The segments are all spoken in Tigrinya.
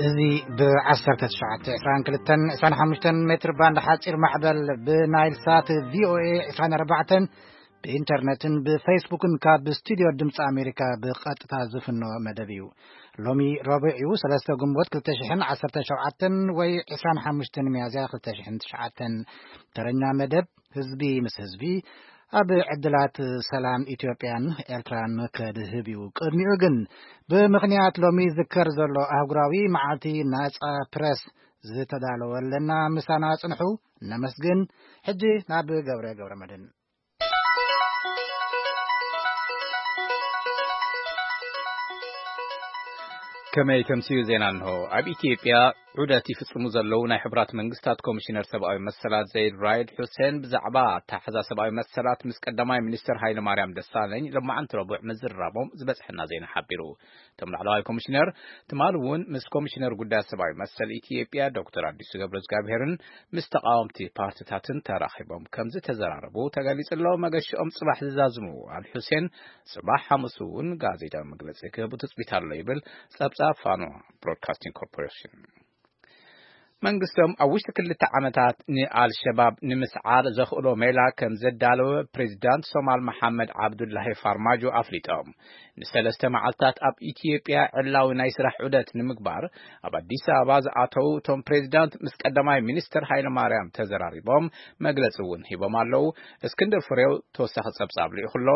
እዚ ብ1922-25 ሜትር ባንድ ሓጺር ማዕበል፣ ብናይል ሳት ቪ ኦ ኤ 24፣ ብኢንተርነትን ብፌስቡክን ካብ ስቱድዮ ድምፂ ኣሜሪካ ብቐጥታ ዝፍኖ መደብ እዩ። ሎሚ ረቡዕ እዩ፣ 3 ግንቦት 2017 ወይ 25 ሚያዝያ 2009። ተረኛ መደብ ህዝቢ ምስ ህዝቢ ኣብ ዕድላት ሰላም ኢትዮጵያን ኤርትራን ከድህብ እዩ። ቅድሚኡ ግን፣ ብምኽንያት ሎሚ ዝከር ዘሎ ኣህጉራዊ መዓልቲ ናጻ ፕረስ ዝተዳለወ ኣለና። ምሳና ጽንሑ፣ ነመስግን። ሕጂ ናብ ገብረ ገብረ መድህን። ከመይ ተምስዩ ዜና እንሆ። ኣብ ኢትዮጵያ ዑደት ይፍጽሙ ዘለዉ ናይ ሕቡራት መንግስታት ኮሚሽነር ሰብኣዊ መሰላት ዘይድ ራይድ ሑሴን ብዛዕባ ኣተሓሕዛ ሰብኣዊ መሰላት ምስ ቀዳማይ ሚኒስትር ሃይለ ማርያም ደሳለኝ ሎማዓንቲ ረቡዕ ምዝራቦም ዝበጽሐና ዜና ሓቢሩ። እቶም ላዕለዋይ ኮሚሽነር ትማሊ እውን ምስ ኮሚሽነር ጉዳያት ሰብኣዊ መሰል ኢትዮጵያ ዶክተር ኣዲሱ ገብረ እግዚኣብሄርን ምስ ተቃወምቲ ፓርቲታትን ተራኺቦም ከም ዝተዘራረቡ ተገሊጹ ኣሎ። መገሽኦም ጽባሕ ዝዛዝሙ ኣል ሑሴን ጽባሕ ሓሙስ እውን ጋዜጣዊ መግለጺ ክህቡ ትጽቢት ኣሎ ይብል ጸብጻብ ፋኖ ብሮድካስቲንግ ኮርፖሬሽን። መንግስቶም ኣብ ውሽጢ ክልተ ዓመታት ንኣልሸባብ ንምስዓር ዘኽእሎ ሜላ ከም ዘዳለወ ፕሬዚዳንት ሶማል መሓመድ ዓብዱላሂ ፋርማጆ ኣፍሊጦም። ንሰለስተ መዓልታት ኣብ ኢትዮጵያ ዕላዊ ናይ ስራሕ ዑደት ንምግባር ኣብ ኣዲስ ኣበባ ዝኣተዉ እቶም ፕሬዚዳንት ምስ ቀዳማይ ሚኒስትር ሃይለ ማርያም ተዘራሪቦም መግለጺ እውን ሂቦም ኣለዉ። እስክንድር ፍሬው ተወሳኺ ጸብጻብ ልኢኹ ኣሎ።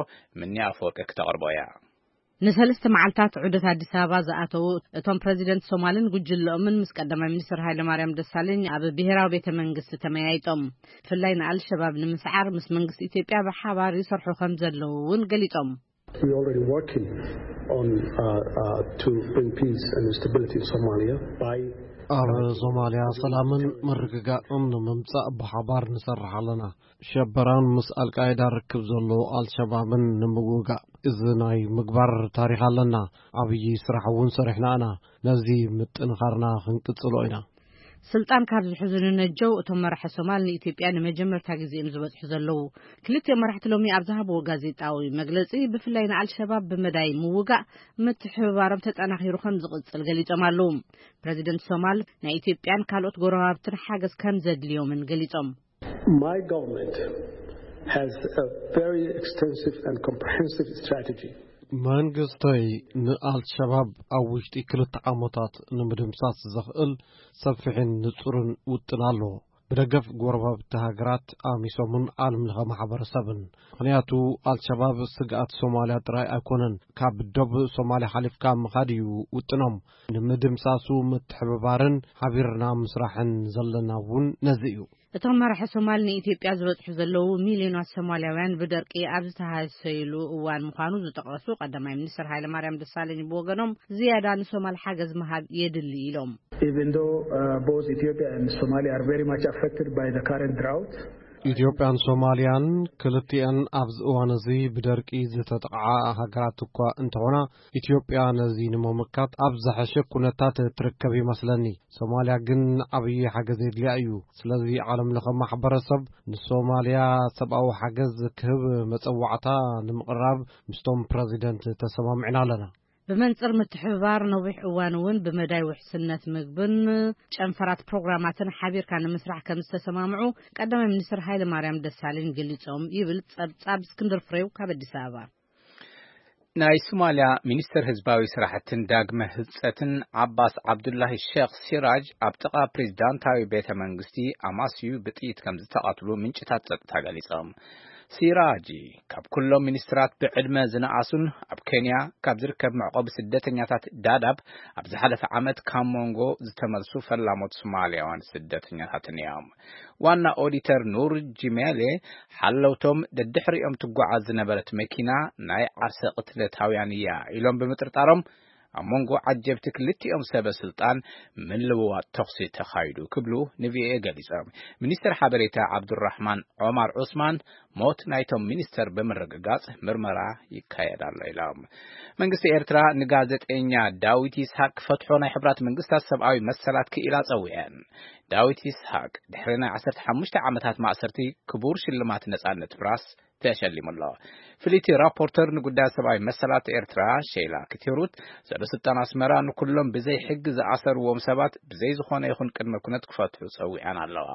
ምኒ ኣፈወርቂ ክተቕርቦ እያ። ንሰለስተ መዓልታት ዑደት ኣዲስ ኣበባ ዝኣተዉ እቶም ፕረዚደንት ሶማልን ጉጅለኦምን ምስ ቀዳማይ ሚኒስትር ሃይለ ማርያም ደሳለኝ ኣብ ብሔራዊ ቤተ መንግስቲ ተመያይጦም። ብፍላይ ንኣልሸባብ ንምስዓር ምስ መንግስቲ ኢትዮጵያ ብሓባር ይሰርሑ ከም ዘለዉ እውን ገሊጾም። We already working on, uh, uh, to bring peace and stability in Somalia by ኣብ ሶማልያ ሰላምን ምርግጋእን ንምምጻእ ብሓባር ንሰርሕ ኣለና። ሸበራን ምስ ኣልቃይዳ ርክብ ዘለዎ ኣልሸባብን ንምውጋእ እዚ ናይ ምግባር ታሪኽ ኣለና። ዓብዪ ስራሕ እውን ሰሪሕና ኢና። ነዚ ምጥንኻርና ክንቅጽሎ ኢና። ስልጣን ካብ ዝሕዙ ንነጀው እቶም መራሒ ሶማል ንኢትዮጵያ ንመጀመርታ ግዜ እዮም ዝበጽሑ ዘለዉ። ክልቲኦም መራሕቲ ሎሚ ኣብ ዝሃብዎ ጋዜጣዊ መግለጺ ብፍላይ ንኣልሸባብ ብመዳይ ምውጋእ ምትሕብባሮም ተጠናኺሩ ከም ዝቕጽል ገሊጾም ኣለዉ። ፕረዚደንት ሶማል ናይ ኢትዮጵያን ካልኦት ጎረባብትን ሓገዝ ከም ዘድልዮምን ገሊጾም። My government has a very extensive and comprehensive strategy. መንግስተይ ንኣልሸባብ ኣብ ውሽጢ ክልተ ዓመታት ንምድምሳስ ዘኽእል ሰፊሕን ንጹርን ውጥን ኣለዎ። ብደገፍ ጎረባብቲ ሃገራት ኣሚሶምን ዓለም ለኸ ማሕበረሰብን። ምኽንያቱ ኣልሸባብ ስግኣት ሶማልያ ጥራይ ኣይኮነን። ካብ ደቡብ ሶማልያ ሓሊፍካ ምኻድ እዩ ውጥኖም። ንምድምሳሱ ምትሕብባርን ሓቢርና ምስራሕን ዘለና እውን ነዚ እዩ። እቶም መራሒ ሶማል ንኢትዮጵያ ዝበጽሑ ዘለዉ ሚልዮናት ሶማልያውያን ብደርቂ ኣብ ዝተሃሰዩሉ እዋን ምዃኑ ዝጠቐሱ ቀዳማይ ሚኒስትር ሃይለማርያም ደሳለኝ ብወገኖም ዝያዳ ንሶማል ሓገዝ ምሃብ የድሊ ኢሎም። Even though, uh, both Ethiopia and Somalia are very much affected by the current drought, ኢትዮጵያን ሶማልያን ክልቲኣን ኣብዚ እዋን እዚ ብደርቂ ዝተጠቕዓ ሃገራት እኳ እንተኾና፣ ኢትዮጵያ ነዚ ንምምካት ኣብ ዝሐሸ ኩነታት ትርከብ ይመስለኒ። ሶማልያ ግን ዓብዪ ሓገዝ የድልያ እዩ። ስለዚ ዓለም ለኸ ማሕበረሰብ ንሶማልያ ሰብኣዊ ሓገዝ ክህብ መጸዋዕታ ንምቕራብ ምስቶም ፕረዚደንት ተሰማሚዕና ኣለና። ብመንጽር ምትሕብባር ነዊሕ እዋን እውን ብመዳይ ውሕስነት ምግብን ጨንፈራት ፕሮግራማትን ሓቢርካ ንምስራሕ ከም ዝተሰማምዑ ቀዳማይ ሚኒስትር ሃይለማርያም ደሳለኝ ገሊጾም ይብል ጸብጻብ እስክንድር ፍሬው ካብ ኣዲስ ኣበባ። ናይ ሶማልያ ሚኒስትር ህዝባዊ ስራሕትን ዳግመ ህንጸትን ዓባስ ዓብዱላሂ ሼክ ሲራጅ ኣብ ጥቓ ፕሬዚዳንታዊ ቤተ መንግስቲ ኣማስዩ ብጥይት ከም ዝተቐትሉ ምንጭታት ጸጥታ ገሊጾም። ሲራጂ ካብ ኩሎም ሚኒስትራት ብዕድመ ዝነኣሱን ኣብ ኬንያ ካብ ዝርከብ መዕቆቢ ስደተኛታት ዳዳብ ኣብ ዝሓለፈ ዓመት ካብ ሞንጎ ዝተመልሱ ፈላሞት ሶማልያውያን ስደተኛታትን እዮም። ዋና ኦዲተር ኑር ጂሜሌ ሓለውቶም ደድሕሪኦም ትጓዓዝ ዝነበረት መኪና ናይ ዓርሰ ቅትለታውያን እያ ኢሎም ብምጥርጣሮም ኣብ መንጎ ዓጀብቲ ክልቲኦም ሰበ ስልጣን ምልውዋጥ ተኹሲ ተኻይዱ ክብሉ ንቪኦኤ ገሊጾም። ሚኒስትር ሓበሬታ ዓብዱራሕማን ዖማር ዑስማን ሞት ናይቶም ሚኒስተር ብምርግጋጽ ምርመራ ይካየድ ኣሎ ኢሎም። መንግስቲ ኤርትራ ንጋዜጠኛ ዳዊት ይስሐቅ ክፈትሖ ናይ ሕብራት መንግስታት ሰብኣዊ መሰላት ክኢላ ጸዊዐን። ዳዊት ይስሐቅ ድሕሪ ናይ ዓሰርተ ሓሙሽተ ዓመታት ማእሰርቲ ክቡር ሽልማት ነጻነት ፕራስ ተሸሊሙ ኣሎ። ፍልይቲ ራፖርተር ንጉዳይ ሰብኣዊ መሰላት ኤርትራ ሼላ ክትሩት፣ ሰበ ስልጣን ኣስመራ ንኩሎም ብዘይ ሕጊ ዝኣሰርዎም ሰባት ብዘይ ዝኾነ ይኹን ቅድመ ኩነት ክፈትሑ ጸዊዐን ኣለዋ።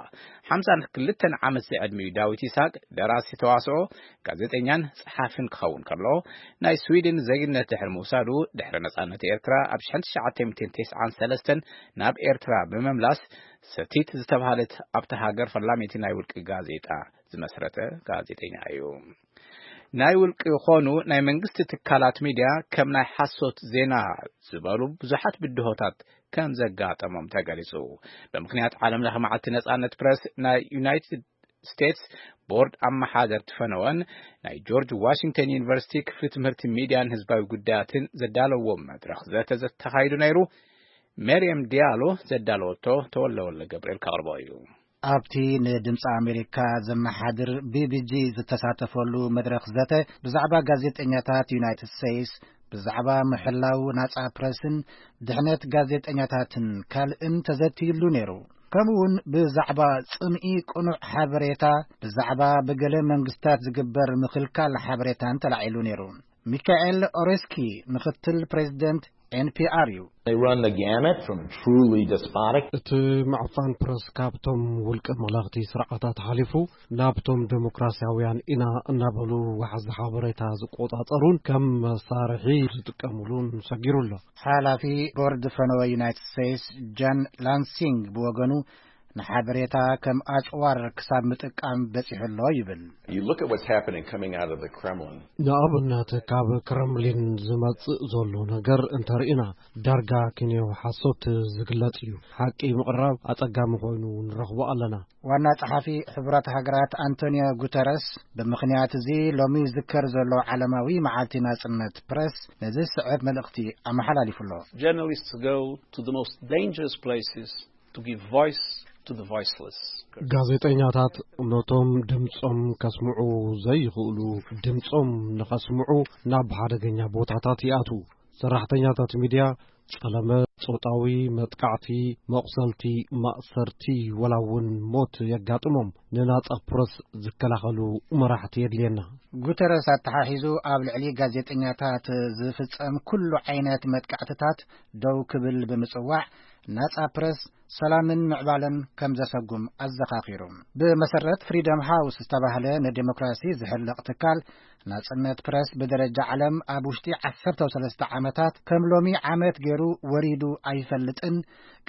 ሓምሳን ክልተን ዓመት ዝዕድሚኡ ዳዊት ይስሐቅ ደራሲ ተዋስኦ፣ ጋዜጠኛን ጸሓፍን ክኸውን ከሎ፣ ናይ ስዊድን ዜግነት ድሕሪ ምውሳዱ፣ ድሕሪ ነጻነት ኤርትራ ኣብ ሽሕን ትሽዓተ ሚእትን ተስዓን ሰለስተን ናብ ኤርትራ ብምምላስ፣ ሰቲት ዝተባህለት ኣብታ ሃገር ፈላሚቲ ናይ ውልቂ ጋዜጣ ዝመስረተ ጋዜጠኛ እዩ። ናይ ውልቂ ይኾኑ ናይ መንግስቲ ትካላት ሚድያ ከም ናይ ሓሶት ዜና ዝበሉ ብዙሓት ብድሆታት ከም ዘጋጠሞም ተገሊጹ። ብምኽንያት ዓለም ለኸ መዓልቲ ነጻነት ፕረስ፣ ናይ ዩናይትድ ስቴትስ ቦርድ ኣመሓደርቲ ፈነወን ናይ ጆርጅ ዋሽንግተን ዩኒቨርሲቲ ክፍሊ ትምህርቲ ሚድያን ህዝባዊ ጉዳያትን ዘዳለዎ መድረኽ ዘተ ዘተኻይዱ ነይሩ። ሜርየም ዲያሎ ዘዳለወቶ ተወለወለ ገብርኤል ከቕርቦ እዩ። ኣብቲ ንድምፂ ኣሜሪካ ዘመሓድር ቢቢጂ ዝተሳተፈሉ መድረኽ ዘተ፣ ብዛዕባ ጋዜጠኛታት ዩናይትድ ስቴትስ፣ ብዛዕባ ምሕላው ናጻ ፕረስን ድሕነት ጋዜጠኛታትን ካልእን ተዘትይሉ ነይሩ። ከምኡውን ብዛዕባ ጽምኢ ቅኑዕ ሓበሬታ፣ ብዛዕባ ብገለ መንግስታት ዝግበር ምኽልካል ሓበሬታን ተላዒሉ ነይሩ። ሚካኤል ኦሬስኪ ምኽትል ፕሬዚደንት ኤንፒኣር እዩ። They run the gamut from truly despotic. እቲ ምዕፋን ፕረስ ካብቶም ውልቀ መላኽቲ ስርዓታት ሓሊፉ፣ ናብቶም ዴሞክራሲያውያን ኢና እናበሉ ዋሕዚ ሓበሬታ ዝቆጻጸሩን ከም መሳርሒ ዝጥቀሙሉን ሰጊሩ ኣሎ። ሓላፊ ቦርድ ፈነወ ዩናይትድ ስቴትስ ጃን ላንሲንግ ብወገኑ፣ ንሓበሬታ ከም ኣጭዋር ክሳብ ምጥቃም በጺሑ ኣሎ ይብል። You look at what's happening coming out of the Kremlin. ንኣብነት ካብ ክረምሊን ዝመጽእ ዘሎ ነገር እንተርኢና፣ ዳርጋ ክንዮ ሓሶት ዝግለጽ እዩ። ሓቂ ምቕራብ ኣጸጋሚ ኮይኑ ንረኽቦ ኣለና። ዋና ጸሓፊ ሕቡራት ሃገራት ኣንቶኒዮ ጉተረስ፣ ብምኽንያት እዚ ሎሚ ዝዝከር ዘሎ ዓለማዊ መዓልቲ ናጽነት ፕረስ፣ ነዚ ዝስዕብ መልእኽቲ ኣመሓላሊፉ ኣሎ። Journalists go to the most dangerous places to give voice to the voiceless. ጋዜጠኛታት ነቶም ድምጾም ከስምዑ ዘይኽእሉ ድምጾም ንኸስምዑ ናብ ሓደገኛ ቦታታት ይኣትዉ። ሰራሕተኛታት ሚድያ ጸለመ፣ ጾታዊ መጥቃዕቲ፣ መቑሰልቲ፣ ማእሰርቲ፣ ወላ እውን ሞት የጋጥሞም። ንናጻ ፕረስ ዝከላኸሉ መራሕቲ የድልየና። ጉተረስ ኣተሓሒዙ፣ ኣብ ልዕሊ ጋዜጠኛታት ዝፍጸም ኩሉ ዓይነት መጥቃዕትታት ደው ክብል ብምጽዋዕ፣ ናጻ ፕረስ ሰላምን ምዕባለን ከም ዘሰጉም ኣዘኻኺሩ። ብመሰረት ፍሪደም ሃውስ ዝተባህለ ንዲሞክራሲ ዝሕለቕ ትካል፣ ናጽነት ፕረስ ብደረጃ ዓለም ኣብ ውሽጢ ዓሰርተ ሰለስተ ዓመታት ከም ሎሚ ዓመት ገይሩ ወሪዱ ኣይፈልጥን።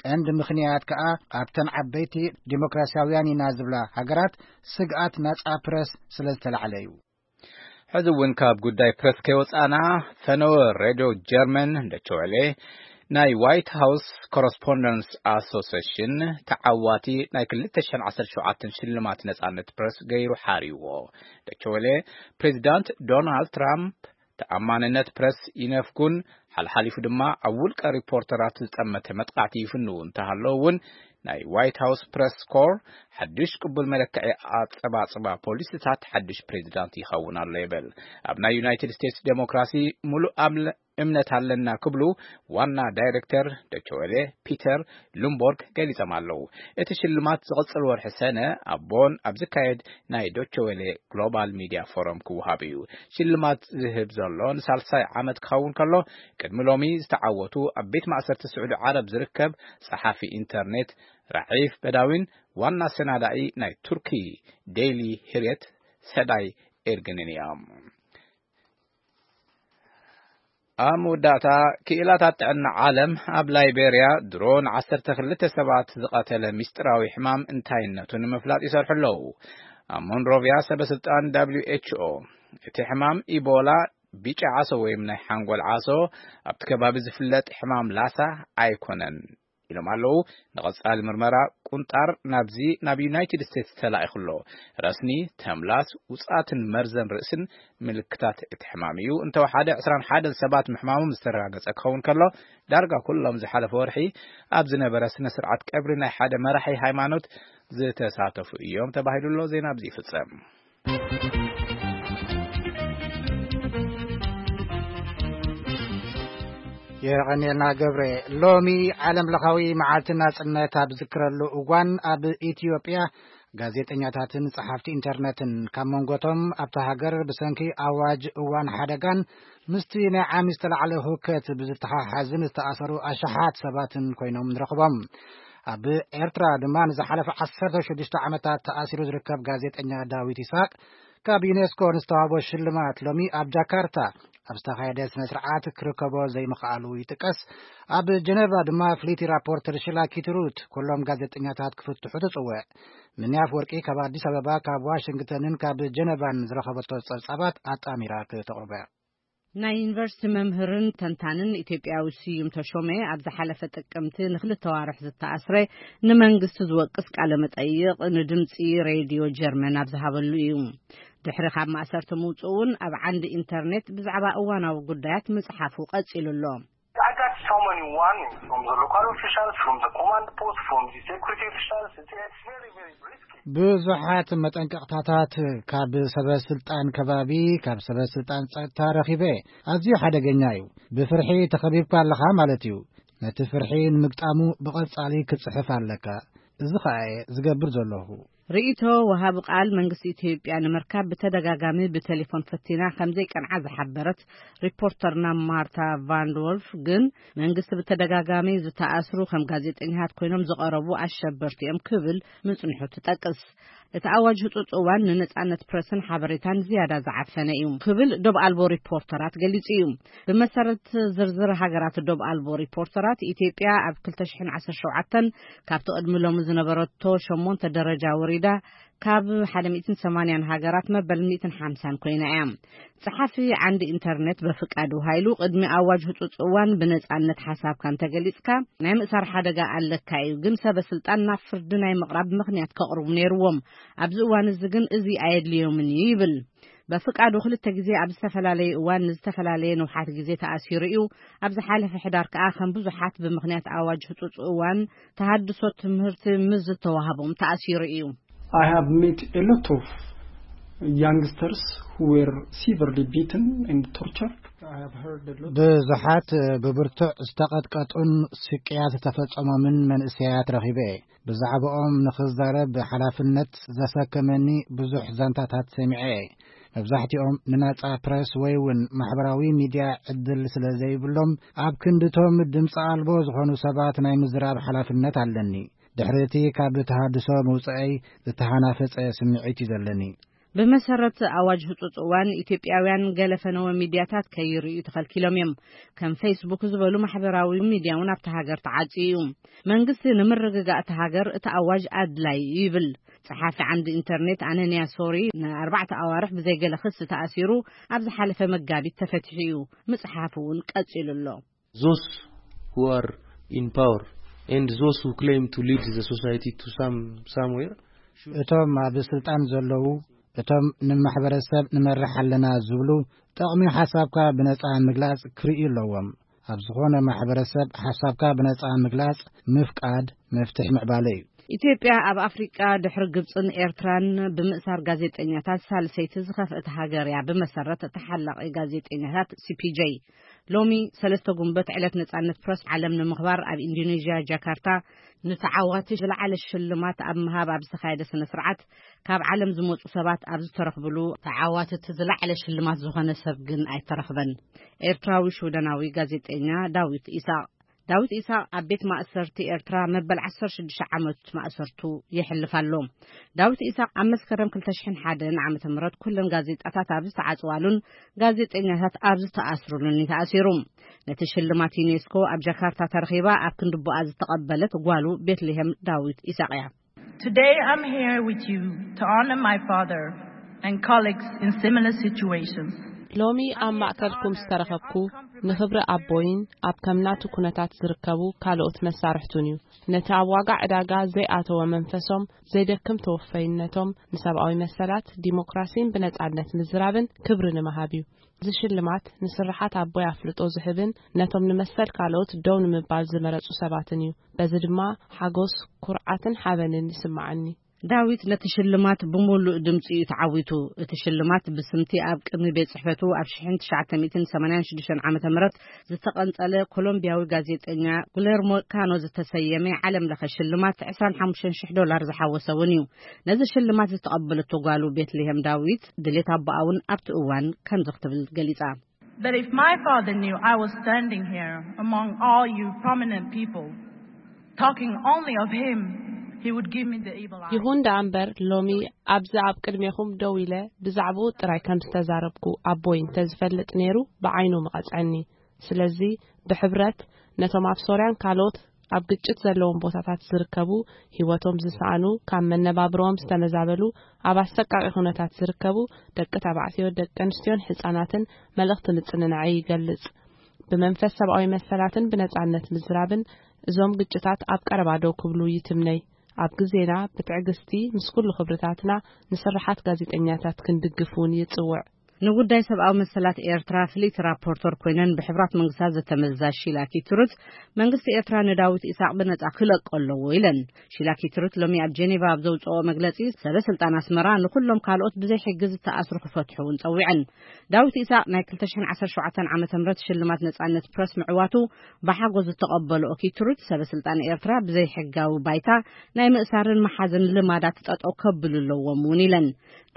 ቀንዲ ምኽንያት ከኣ ኣብተን ዓበይቲ ዲሞክራሲያውያን ኢና ዝብላ ሃገራት ስግኣት ናጻ ፕረስ ስለ ዝተላዕለ እዩ። ሕዚ እውን ካብ ጉዳይ ፕረስ ከይወጻና፣ ፈነወ ሬድዮ ጀርመን ደቸወሌ ናይ ዋይት ሃውስ ኮረስፖንደንስ ኣሶሴሽን ተዓዋቲ ናይ ክልተ ሽሕን ዓሰርተ ሸውዓተን ሽልማት ነጻነት ፕረስ ገይሩ ሓርይዎ። ደቸወሌ፣ ፕሬዚዳንት ዶናልድ ትራምፕ ተኣማንነት ፕረስ ይነፍጉን ሓልሓሊፉ ድማ ኣብ ውልቀ ሪፖርተራት ዝጠመተ መጥቃዕቲ ይፍንዉ እንተሃለዉ እውን፣ ናይ ዋይት ሃውስ ፕረስ ኮር ሓድሽ ቅቡል መለክዒ ኣጸባጽባ ፖሊሲታት ሓድሽ ፕሬዚዳንት ይኸውን ኣሎ ይብል። ኣብ ናይ ዩናይትድ ስቴትስ ዴሞክራሲ ሙሉእ ኣምለ እምነት ኣለና ክብሉ ዋና ዳይሬክተር ዶቸወሌ ፒተር ሉምቦርግ ገሊጾም ኣለዉ። እቲ ሽልማት ዝቕጽል ወርሒ ሰነ ኣብ ቦን ኣብ ዝካየድ ናይ ዶቸወሌ ግሎባል ሚድያ ፎረም ክወሃብ እዩ። ሽልማት ዝህብ ዘሎ ንሳልሳይ ዓመት ክኸውን ከሎ፣ ቅድሚ ሎሚ ዝተዓወቱ ኣብ ቤት ማእሰርቲ ስዑዲ ዓረብ ዝርከብ ጸሓፊ ኢንተርኔት ራዒፍ በዳዊን ዋና ሰናዳኢ ናይ ቱርኪ ዴይሊ ሂርየት ሰዳይ ኤርግንን እዮም። ኣብ መወዳእታ፣ ክኢላታት ጥዕና ዓለም ኣብ ላይቤርያ ድሮን ዓሰርተ ክልተ ሰባት ዝቐተለ ሚስጥራዊ ሕማም እንታይነቱ ንምፍላጥ ይሰርሑ ኣለዉ። ኣብ ሞንሮቪያ ሰበ ስልጣን ደብሊው ኤች ኦ፣ እቲ ሕማም ኢቦላ፣ ቢጫ ዓሶ ወይም ናይ ሓንጎል ዓሶ፣ ኣብቲ ከባቢ ዝፍለጥ ሕማም ላሳ ኣይኮነን ኢሎም ኣለዉ። ንቐጻሊ ምርመራ ቁንጣር ናብዚ ናብ ዩናይትድ ስቴትስ ተላኢኹ ኣሎ። ረስኒ፣ ተምላስ፣ ውጽኣትን መርዘን ርእስን ምልክታት እቲ ሕማም እዩ። እንተወሓደ ዕስራን ሓደን ሰባት ምሕማሞም ዝተረጋገጸ ክኸውን ከሎ፣ ዳርጋ ኩሎም ዝሓለፈ ወርሒ ኣብ ዝነበረ ስነ ስርዓት ቀብሪ ናይ ሓደ መራሒ ሃይማኖት ዝተሳተፉ እዮም ተባሂሉ ኣሎ። ዜና ኣብዚ ይፍጸም። የቐንየልና ገብረ። ሎሚ ዓለም ለኻዊ መዓልቲ ናጽነት ኣብ ዝክረሉ እዋን፣ ኣብ ኢትዮጵያ ጋዜጠኛታትን ጸሓፍቲ ኢንተርነትን ካብ መንጎቶም ኣብታ ሃገር ብሰንኪ ኣዋጅ እዋን ሓደጋን ምስቲ ናይ ዓሚ ዝተላዕለ ህውከት ብዝተሓሓዝን ዝተኣሰሩ ኣሽሓት ሰባትን ኮይኖም ንረኽቦም። ኣብ ኤርትራ ድማ ንዝሓለፈ ዓሰርተ ሽዱሽተ ዓመታት ተኣሲሩ ዝርከብ ጋዜጠኛ ዳዊት ይስሐቅ ካብ ዩኔስኮ ንዝተዋህቦ ሽልማት ሎሚ ኣብ ጃካርታ ኣብ ዝተኻየደ ስነ ስርዓት ክርከቦ ዘይምኽኣሉ ይጥቀስ። ኣብ ጀነቫ ድማ ፍልይቲ ራፖርተር ሽላ ኪትሩት ኩሎም ጋዜጠኛታት ክፍትሑ ትጽውዕ። ምንያፍ ወርቂ ካብ ኣዲስ ኣበባ፣ ካብ ዋሽንግተንን ካብ ጀነቫን ዝረኸበቶ ጸብጻባት ኣጣሚራ ክተቕርቦ። ናይ ዩኒቨርሲቲ መምህርን ተንታንን ኢትዮጵያዊ ስዩም ተሾመ ኣብ ዝሓለፈ ጥቅምቲ ንክልተ ዋርሕ ዝተኣስረ ንመንግስቲ ዝወቅስ ቃለ መጠይቕ ንድምፂ ሬድዮ ጀርመን ኣብ ዝሃበሉ እዩ። ድሕሪ ካብ ማእሰርቲ ምውፅኡ እውን ኣብ ዓንዲ ኢንተርኔት ብዛዕባ እዋናዊ ጉዳያት ምፅሓፉ ቀፂሉ ኣሎ። I got so many warnings from the local officials, from the command post, from the security officials. It's, it's very, very risky. ብዙሓት መጠንቀቕታታት ካብ ሰበ ስልጣን ከባቢ፣ ካብ ሰበ ስልጣን ጸጥታ ረኺበ። ኣዝዩ ሓደገኛ እዩ። ብፍርሒ ተኸቢብካ ኣለኻ ማለት እዩ። ነቲ ፍርሒ ንምግጣሙ ብቐጻሊ ክትጽሕፍ ኣለካ። እዚ ኸኣ እየ ዝገብር ዘለኹ። ርእይቶ ወሃቢ ቃል መንግስቲ ኢትዮጵያ ንምርካብ ብተደጋጋሚ ብቴሌፎን ፈቲና ከም ዘይቀንዓ ዝሓበረት ሪፖርተርና ማርታ ቫንድወልፍ ግን፣ መንግስቲ ብተደጋጋሚ ዝተኣስሩ ከም ጋዜጠኛታት ኮይኖም ዝቐረቡ ኣሸበርቲ እዮም ክብል ምጽንሑ ትጠቅስ። እቲ ኣዋጅ ህጹጽ እዋን ንነጻነት ፕረስን ሓበሬታን ዝያዳ ዝዓፈነ እዩ ክብል ዶብ ኣልቦ ሪፖርተራት ገሊጹ እዩ። ብመሰረት ዝርዝር ሃገራት ዶብ ኣልቦ ሪፖርተራት፣ ኢትዮጵያ ኣብ ክልተ ሽሕን ዓሰርተ ሸውዓተን ካብቲ ቅድሚ ሎሚ ዝነበረቶ ሸሞንተ ደረጃ ወሪዳ ካብ ሓደ ሚእትን ሰማንያን ሃገራት መበል ሚእትን ሓምሳን ኮይና እያ። ጸሓፊ ዓንዲ ኢንተርኔት በፍቃዱ ሃይሉ፣ ቅድሚ ኣዋጅ ህጹጽ እዋን ብነጻነት ሓሳብካ እንተገሊጽካ ናይ ምእሳር ሓደጋ ኣለካ እዩ፣ ግን ሰበ ስልጣን ናብ ፍርዲ ናይ ምቕራብ ምኽንያት ከቕርቡ ነይርዎም። ኣብዚ እዋን እዚ ግን እዚ ኣየድልዮምን እዩ ይብል። በፍቃዱ ክልተ ግዜ ኣብ ዝተፈላለየ እዋን ንዝተፈላለየ ንውሓት ግዜ ተኣሲሩ እዩ። ኣብ ዝሓለፈ ሕዳር ከኣ ከም ብዙሓት ብምኽንያት ኣዋጅ ህጹጽ እዋን ተሃድሶ ትምህርቲ ምስ ዝተዋህቦም ተኣሲሩ እዩ። I have met a lot of youngsters who were severely beaten and tortured. I have heard a lot. ብዙሓት ብብርቱዕ ዝተቐጥቀጡን ስቅያት ዝተፈጸሞምን መንእሰያት ረኺበ። ብዛዕባኦም ንኽዛረብ ሓላፍነት ዘሰከመኒ ብዙሕ ዛንታታት ሰሚዐ። መብዛሕትኦም ንናጻ ፕረስ ወይ እውን ማሕበራዊ ሚድያ ዕድል ስለ ዘይብሎም፣ ኣብ ክንድቶም ድምፂ ኣልቦ ዝኾኑ ሰባት ናይ ምዝራብ ሓላፍነት ኣለኒ። ድሕሪ እቲ ካብ ተሃድሶ ምውፅአይ ዝተሃናፈፀ ስምዒት እዩ ዘለኒ። ብመሰረት ኣዋጅ ህጹጽ እዋን፣ ኢትዮጵያውያን ገለ ፈነወ ሚድያታት ከይርእዩ ተኸልኪሎም እዮም። ከም ፌስቡክ ዝበሉ ማሕበራዊ ሚድያ እውን ኣብቲ ሃገር ተዓጽዩ እዩ። መንግስቲ ንምርግጋእ እቲ ሃገር እቲ ኣዋጅ ኣድላዪ እዩ ይብል። ጸሓፊ ዓንዲ ኢንተርኔት ኣነንያ ሶሪ ንኣርባዕተ ኣዋርሕ ብዘይገለ ክሲ ተኣሲሩ ኣብ ዝሓለፈ መጋቢት ተፈቲሑ እዩ። ምጽሓፉ እውን ቀጺሉ ኣሎ። Those who are in power and those who claim to lead the society to some somewhere should እቶም ኣብ ስልጣን ዘለዉ፣ እቶም ንማሕበረሰብ ንመርሕ ኣለና ዝብሉ፣ ጥቕሚ ሓሳብካ ብነጻ ምግላጽ ክርእዩ ኣለዎም። ኣብ ዝኾነ ማሕበረሰብ ሓሳብካ ብነጻ ምግላጽ ምፍቃድ መፍትሕ ምዕባለ እዩ። ኢትዮጵያ ኣብ ኣፍሪቃ ድሕሪ ግብጽን ኤርትራን ብምእሳር ጋዜጠኛታት ሳልሰይቲ ዝኸፍአት ሃገር እያ፣ ብመሰረት ተሓላቒ ጋዜጠኛታት ሲ ፒ ጄ። ሎሚ ሰለስተ ጉንበት ዕለት ነጻነት ፕረስ ዓለም ንምኽባር ኣብ ኢንዶኔዥያ ጃካርታ ንተዓዋቲ ዝለዓለ ሽልማት ኣብ ምሃብ ኣብ ዝተኻየደ ስነ ስርዓት፣ ካብ ዓለም ዝመጹ ሰባት ኣብ ዝተረኽብሉ፣ ተዓዋቲ እቲ ዝለዓለ ሽልማት ዝኾነ ሰብ ግን ኣይተረኽበን። ኤርትራዊ ሽወደናዊ ጋዜጠኛ ዳዊት ኢሳቕ። ዳዊት ኢሳቕ ኣብ ቤት ማእሰርቲ ኤርትራ መበል ዓሰርተ ሽዱሽተ ዓመት ማእሰርቱ የሕልፍ ኣሎ። ዳዊት ኢሳቕ ኣብ መስከረም ክልተ ሽሕን ሓደን ዓመተ ምህረት ኩለን ጋዜጣታት ኣብ ዝተዓጽዋሉን ጋዜጠኛታት ኣብ ዝተኣስሩሉን እዩ ተኣሲሩ። ነቲ ሽልማት ዩኔስኮ ኣብ ጃካርታ ተረኺባ ኣብ ክንዲ ቦኣ ዝተቐበለት ጓሉ ቤትልሄም ዳዊት ኢሳቕ እያ። Today I'm here with you to honor my father and colleagues in similar situations. ሎሚ ኣብ ማእከልኩም ዝተረኸብኩ ንኽብሪ ኣቦይን ኣብ ከም ናቱ ኩነታት ዝርከቡ ካልኦት መሳርሕቱን እዩ። ነቲ ኣብ ዋጋ ዕዳጋ ዘይኣተወ መንፈሶም፣ ዘይደክም ተወፈይነቶም፣ ንሰብኣዊ መሰላት፣ ዲሞክራሲን ብነጻነት ምዝራብን ክብሪ ንምሃብ እዩ። እዚ ሽልማት ንስርሓት ኣቦይ ኣፍልጦ ዝህብን ነቶም ንመሰል ካልኦት ደው ንምባል ዝመረጹ ሰባትን እዩ። በዚ ድማ ሓጎስ፣ ኩርዓትን ሓበንን ይስምዓኒ። ዳዊት ነቲ ሽልማት ብምሉእ ድምጺ እዩ ተዓዊቱ። እቲ ሽልማት ብስምቲ ኣብ ቅድሚ ቤት ጽሕፈቱ ኣብ ሽሕን ትሽዓተ ሚእትን ሰማንያን ሽዱሽተን ዓመተ ምህረት ዝተቐንጸለ ኮሎምቢያዊ ጋዜጠኛ ጉለርሞ ካኖ ዝተሰየመ ዓለም ለኸ ሽልማት ዕስራን ሓሙሽተን ሽሕ ዶላር ዝሓወሰ እውን እዩ። ነዚ ሽልማት ዝተቐበለቶ ጓሉ ቤትልሄም ዳዊት ድሌት ኣቦኣ እውን ኣብቲ እዋን ከምዚ ክትብል ገሊጻ። But if my father knew I was standing here among all you prominent people, talking only of him, he would give me the evil eye. ይኹን ደኣ እምበር፣ ሎሚ ኣብዚ ኣብ ቅድሜኹም ደው ኢለ ብዛዕባኡ ጥራይ ከም ዝተዛረብኩ ኣቦይ እንተዝፈልጥ ነይሩ፣ ብዓይኑ ምቐጽዐኒ። ስለዚ፣ ብሕብረት ነቶም ኣብ ሶርያን ካልኦት ኣብ ግጭት ዘለዎም ቦታታት ዝርከቡ፣ ህይወቶም ዝሰኣኑ፣ ካብ መነባብሮኦም ዝተመዛበሉ፣ ኣብ ኣሰቃቂ ኩነታት ዝርከቡ ደቂ ተባዕትዮ፣ ደቂ ኣንስትዮን ህጻናትን መልእኽቲ ምጽንናዐይ ይገልጽ። ብመንፈስ ሰብኣዊ መሰላትን ብነጻነት ምዝራብን እዞም ግጭታት ኣብ ቀረባ ደው ክብሉ ይትምነይ። ኣብ ግዜና ብትዕግስቲ ምስ ኩሉ ክብርታትና ንስርሓት ጋዜጠኛታት ክንድግፍ እውን ይጽውዕ። ንጉዳይ ሰብኣዊ መሰላት ኤርትራ ፍልይቲ ራፖርተር ኮይነን ብሕቡራት መንግስታት ዘተመዛ ሺላ ኪትሩት፣ መንግስቲ ኤርትራ ንዳዊት ኢሳቕ ብነጻ ክለቆ ኣለዎ ኢለን። ሺላ ኪትሩት ሎሚ ኣብ ጄኔቫ ኣብ ዘውጽኦ መግለጺ፣ ሰበ ስልጣን ኣስመራ ንኹሎም ካልኦት ብዘይ ሕጊ ዝተኣስሩ ክፈትሑ እውን ጸዊዐን። ዳዊት ኢሳቕ ናይ ክልተ ሽሕን ዓሰርተ ሸውዓተን ዓመተ ምህረት ሽልማት ነጻነት ፕረስ ምዕዋቱ ብሓጎስ ዝተቐበሎ ኪትሩት፣ ሰበ ስልጣን ኤርትራ ብዘይ ሕጋዊ ባይታ ናይ ምእሳርን መሓዝን ልማዳት ጠጠው ከብሉ ኣለዎም እውን ኢለን።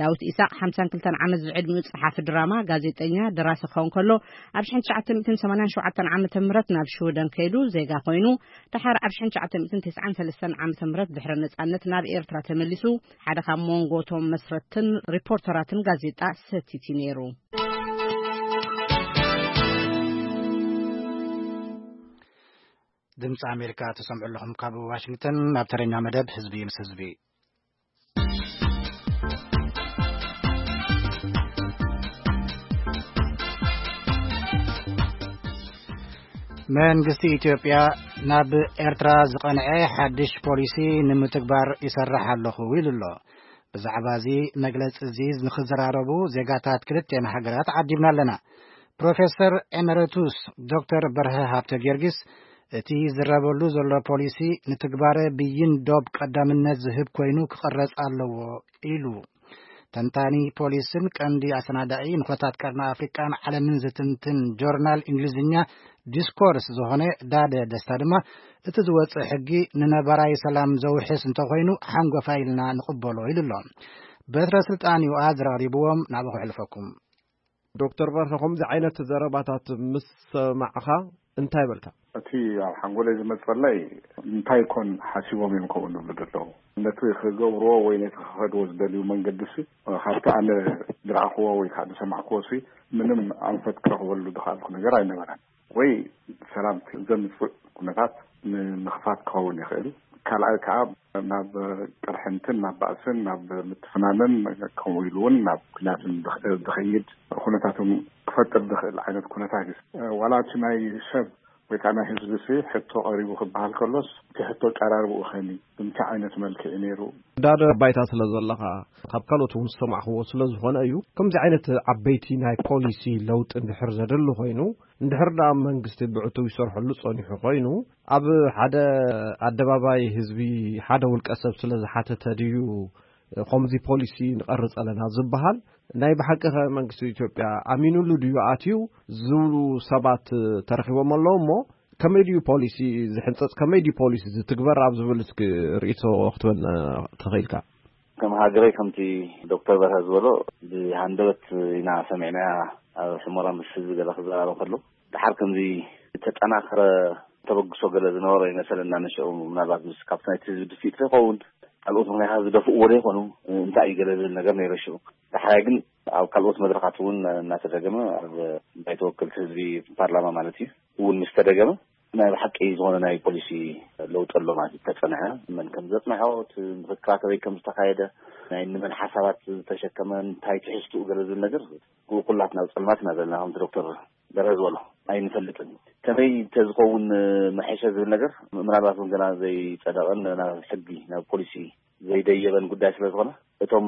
ዳዊት ኢሳቕ ሓምሳን ክልተን ዓመት ዝዕድሚኡ ጸሓፊ ድራማ፣ ጋዜጠኛ፣ ደራሲ ክኸውን ከሎ፣ ኣብ ሽሕን ትሽዓተ ሚእትን ሰማንያን ሸውዓተን ዓመተ ምህረት ናብ ሽወደን ከይዱ ዜጋ ኮይኑ፣ ደሓር ኣብ ሽሕን ትሽዓተ ሚእትን ተስዓን ሰለስተን ዓመተ ምህረት ድሕሪ ነጻነት ናብ ኤርትራ ተመሊሱ፣ ሓደ ካብ መንጎ እቶም መስረትን ሪፖርተራትን ጋዜጣ ሰቲት እዩ ነይሩ። ድምፂ ኣሜሪካ ትሰምዑ ኣለኹም ካብ ዋሽንግተን። ናብ ተረኛ መደብ ህዝቢ ምስ ህዝቢ። መንግስቲ ኢትዮጵያ ናብ ኤርትራ ዝቐንዐ ሓድሽ ፖሊሲ ንምትግባር ይሰርሕ ኣለኹ ኢሉ ኣሎ። ብዛዕባ እዚ መግለጺ እዚ ንኽዘራረቡ ዜጋታት ክልቲኤን ሃገራት ዓዲምና ኣለና። ፕሮፌሰር ኤመረቱስ ዶክተር በርሀ ሃብተ ጊዮርጊስ፣ እቲ ዝረበሉ ዘሎ ፖሊሲ ንትግባረ ብይን ዶብ ቀዳምነት ዝህብ ኮይኑ ክቕረጽ ኣለዎ ኢሉ። ተንታኒ ፖሊስን ቀንዲ ኣሰናዳኢ ንኹነታት ቀርኒ ኣፍሪቃን ዓለምን ዝትንትን ጆርናል እንግሊዝኛ ዲስኮርስ ዝኾነ ዳደ ደስታ ድማ፣ እቲ ዝወጽእ ሕጊ ንነባራዊ ሰላም ዘውሕስ እንተኾይኑ ሓንጎፋይ ኢልና ንቕበሎ ኢሉ ኣሎ። በትረ ስልጣን ዩ ኣዝራሪብዎም፣ ናብኡ ክሕልፈኩም። ዶክተር በርሀ፣ ከምዚ ዓይነት ዘረባታት ምስ ሰማዕኻ እንታይ በልካ? እቲ ኣብ ሓንጎለይ ዝመጸለይ፣ እንታይ ኮን ሓሲቦም እዮም ከምኡ ዝብሉ ዘለዉ? ነቲ ክገብርዎ ወይ ነቲ ክኸድዎ ዝደልዩ መንገዲ ሲ፣ ካብቲ ኣነ ዝረኣኽዎ ወይ ከዓ ዝሰማዕክዎ ሲ፣ ምንም ኣንፈት ክረኽበሉ ዝኸኣልኩ ነገር ኣይነበረን። ወይ ሰላም ዘምጽእ ኩነታት ንምኽፋት ክኸውን ይኽእል። ካልኣይ ከዓ ናብ ቅርሕንትን ናብ ባእስን ናብ ምትፍናንን ከምኡ ኢሉ እውን ናብ ኩናትን ዝኸይድ ኩነታትን ክፈጥር ዝኽእል ዓይነት ኩነታት እዩ። ዋላ እቲ ናይ ሰብ ወይ ከዓ ናይ ህዝቢ ሲ ሕቶ ቀሪቡ ክበሃል ከሎስ፣ እቲ ሕቶ ቀራርብኡ ከመይ፣ ብምንታይ ዓይነት መልክዕ እዩ ነይሩ? ዳደ ባይታ ስለ ዘለኻ፣ ካብ ካልኦት እውን ዝሰማዕኽዎ ስለ ዝኾነ እዩ። ከምዚ ዓይነት ዓበይቲ ናይ ፖሊሲ ለውጢ እንድሕር ዘደሊ ኮይኑ፣ እንድሕር ደኣ መንግስቲ ብዕቱብ ይሰርሐሉ ጸኒሑ ኮይኑ፣ ኣብ ሓደ ኣደባባይ ህዝቢ ሓደ ውልቀ ሰብ ስለ ዝሓተተ ድዩ ከምዚ ፖሊሲ ንቐርጽ ኣለና ዝበሃል? ናይ ብሓቂ ኸ መንግስቲ ኢትዮጵያ ኣሚኑሉ ድዩ ኣትዩ ዝብሉ ሰባት ተረኺቦም ኣለዉ እሞ፣ ከመይ ድዩ ፖሊሲ ዝሕንጸጽ፣ ከመይ ድዩ ፖሊሲ ዝትግበር ኣብ ዝብል እስኪ ርእይቶ ክትበልና ተኽኢልካ? ከም ሃገረይ ከምቲ ዶክተር በርሀ ዝበሎ ብሃንደበት ኢና ሰሚዕናያ። ኣብ ሕሞራ ምስ ህዝቢ ገለ ክዘራረብ ከሎ፣ ደሓር ከምዚ ዝተጠናኸረ ተበግሶ ገለ ዝነበሮ ይመሰለና። ንሽዑ ምናልባት ምስ ካብቲ ናይቲ ህዝቢ ድፊት ይኸውን፣ ካልኦት ምኽንያታት ዝደፍእዎ ዶ ይኾኑ፣ እንታይ እዩ ገለ ዝብል ነገር ነይረ ሽዑ። ዳሕራይ ግን ኣብ ካልኦት መድረኻት እውን እናተደገመ፣ ኣብ ባይቶ ወከልቲ ህዝቢ፣ ፓርላማ ማለት እዩ፣ እውን ምስ ተደገመ፣ ናይ ብሓቂ ዝኾነ ናይ ፖሊሲ ለውጢ ኣሎ ማለት እዩ። ተጸንዐ፣ መን ከም ዘጽንዖ፣ እቲ ምኽክራት ኣበይ ከም ዝተኻየደ፣ ናይ ንመን ሓሳባት ዝተሸከመ፣ እንታይ ትሕዝትኡ ገለ ዝብል ነገር፣ ኩላትና ኣብ ጸልማት ኢና ዘለና፣ ከምቲ ዶክተር በርሀ ዝበሎ ኣይንፈልጥን። ከመይ እንተዝኸውን መሐሸ ዝብል ነገር ምናልባት እውን ገና ዘይጸደቐን ናብ ሕጊ፣ ናብ ፖሊሲ ዘይደየበን ጉዳይ ስለ ዝኾነ፣ እቶም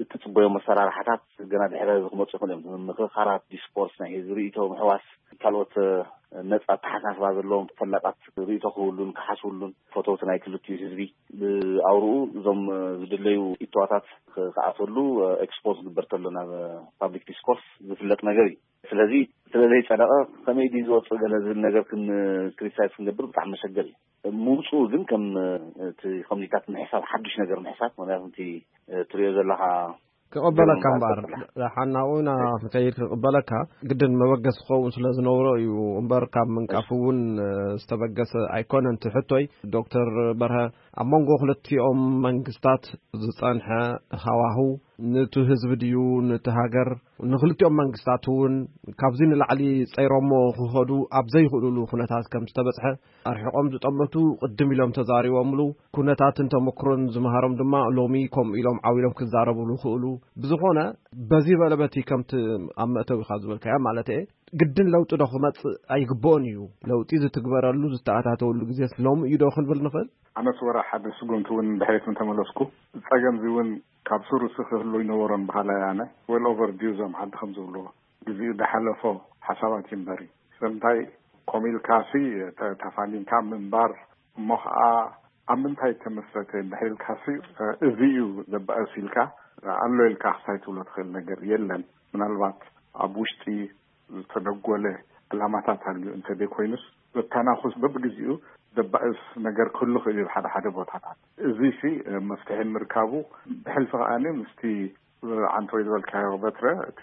እትጽበዮም መሰራርሓታት ገና ድሕሪ ሕዚ ክመጹ ይኽእሉ እዮም። ምክርኻራት፣ ዲስኮርስ፣ ናይ ህዝቢ ርእይቶ ምሕዋስ፣ ካልኦት ነጻ ኣተሓሳስባ ዘለዎም ፈላጣት ርእይቶ ክህብሉን ክሓስብሉን ፈተውቲ ናይ ክልቲኡ ህዝቢ ብኣውርኡ እዞም ዝድለዩ እተዋታት ክኣተሉ ኤክስፖዝ ክግበር ተሎ ናብ ፓብሊክ ዲስኮርስ ዝፍለጥ ነገር እዩ። ስለዚ ስለ ዘይጸደቐ ከመይ ድዩ ዝወፅእ ገለ ዝብል ነገር ክን ክሪቲሳይዝ ክንገብር ብጣዕሚ መሸገር እዩ። ምውፅኡ ግን ከም እቲ ኮሚኒታት ምሕሳብ ሓዱሽ ነገር ምሕሳብ ምክንያቱ እቲ ትሪኦ ዘለካ ክቕበለካ እምበኣር ሓናቑና ከይድ ክቕበለካ ግድን መበገስ ክኸውን ስለ ዝነብሮ እዩ። እምበር ካብ ምንቃፍ እውን ዝተበገሰ ኣይኮነን። እቲ ሕቶይ ዶክተር በርሀ ኣብ መንጎ ክልቲኦም መንግስታት ዝጸንሐ ሃዋሁ ንቱ ህዝቢ ድዩ ንቲ ሃገር ንክልቲኦም መንግስታት እውን ካብዚ ንላዕሊ ጸይሮሞ ክኸዱ ኣብ ዘይኽእሉሉ ኩነታት ከም ዝተበጽሐ ኣርሒቖም ዝጠመቱ ቅድም ኢሎም ተዛሪቦምሉ። ኩነታትን ተመክሮን ዝመሃሮም ድማ ሎሚ ከምኡ ኢሎም ዓው ኢሎም ክዛረብሉ ክእሉ። ብዝኾነ በዚ በለ በቲ ከምቲ ኣብ መእተዊኻ ዝበልካዮ ማለት እየ ግድን ለውጢ ዶ ክመጽእ ኣይግብኦን እዩ? ለውጢ ዝትግበረሉ ዝተኣታተወሉ ግዜስ ሎሚ እዩ ዶ ክንብል ንኽእል? ኣነስ ወረ ሓደ ስጉምቲ እውን ድሕሪት እንተመለስኩ ጸገምዚ እውን ካብ ስሩሲ ክህሉ ይነበሮን በሃላይ ኣነ። ዌል ኦቨር ዲዩ እዞም ዓዲ ከም ዝብልዎ ግዜኡ ዝሓለፎ ሓሳባት እዩ እምበሪ ስለምንታይ ኮሚልካሲ ተፋኒንካ ምንባር እሞ ከዓ ኣብ ምንታይ ተመስረተ እንድሕር ኢልካሲ እዚ እዩ ዘባእስ ኢልካ ኣሎ ኢልካ ክሳይ ትብሎ ትኽእል ነገር የለን። ምናልባት ኣብ ውሽጢ ዝተደጎለ ዕላማታት ኣልዩ እንተዘይኮይኑስ በተናኹስ በብግዜኡ ዘባእስ ነገር ክህሉ ክእል እዩ ሓደ ሓደ ቦታታት። እዚ ሲ መፍትሒ ምርካቡ ብሕልፊ ከዓኒ ምስቲ ዓንተወይ ዝበልካዮ በትረ እቲ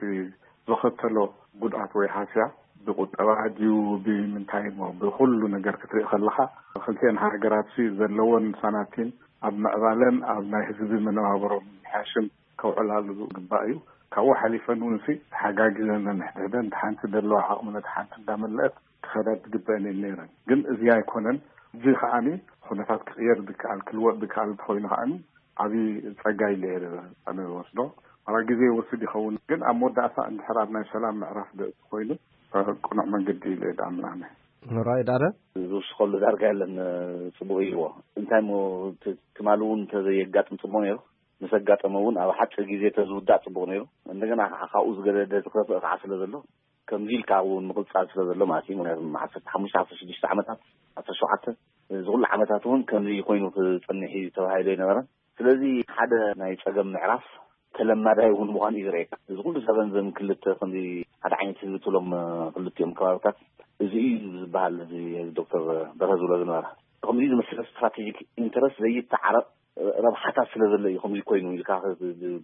ዘኸተሎ ጉድኣት ወይ ሃስያ ብቁጠባ ድዩ ብምንታይ እሞ ብኩሉ ነገር ክትርኢ ከለካ ክልቲኤን ሃገራት ሲ ዘለወን ሳናቲም ኣብ ምዕባለን ኣብ ናይ ህዝቢ መነባብሮ ምምሕያሽን ከውዕላሉ ዝግባእ እዩ። ካብኡ ሓሊፈን እውን ሲ ተሓጋጊዘን ነንሕድሕደን እቲ ሓንቲ ዘለዋ ዓቕሚ ነቲ ሓንቲ እንዳመለአት ክኸዳ ዝግበአን እየን ነይረን። ግን እዚ ኣይኮነን። እዚ ከዓኒ ኩነታት ክቕየር ዝከኣል ክልወጥ ዝከኣል እንተኮይኑ ከዓኒ ዓብዪ ጸጋ ኢለ እየ ኣነ ዝወስዶ። ዋላ ግዜ ይወስድ ይኸውን ግን ኣብ መወዳእታ እንድሕር ኣብ ናይ ሰላም ምዕራፍ ዘእቱ ኮይኑ ቅኑዕ መንገዲ ኢለ እየ ዝኣምን ኣነ። ራይ ዳደ ዝውስኸሉ ዳርጋ የለን። ጽቡቕ ኢልዎ እንታይ ሞ ትማሊ እውን እንተዘየጋጥም ጽቡቕ ነይሩ። ምስ ኣጋጠመ እውን ኣብ ሓፂር ግዜ ተዝውዳእ ፅቡቅ ነይሩ። እንደገና ከዓ ካብኡ ዝገደደ ዝኸፍእ ከዓ ስለ ዘሎ ከምዚ ኢልካ እውን ምቕፃል ስለ ዘሎ ማለት እዩ። ምክንያቱ ዓሰርተ ሓሙሽተ ዓሰርተ ሽዱሽተ ዓመታት ዓሰርተ ሸውዓተ እዚ ኩሉ ዓመታት እውን ከምዚ ኮይኑ ክፀንሕ እዩ ተባሂሉ ኣይነበረን። ስለዚ ሓደ ናይ ፀገም ምዕራፍ ተለማዳይ እውን ምዃኑ እዩ ዝረኤካ። እዚ ኩሉ ሰበን ዘን ክልተ ከምዚ ሓደ ዓይነት ህዝቢ ትብሎም ክልቲኦም ከባብታት እዚ እዩ ዝበሃል እዚ ዶክተር በርሀ ዝብሎ ዝነበረ ከምዚ ዝመስለ ስትራቴጂክ ኢንተረስት ዘይተዓረቕ ረብሓታት ስለ ዘሎ እዩ ከምዚ ኮይኑ ኢልካ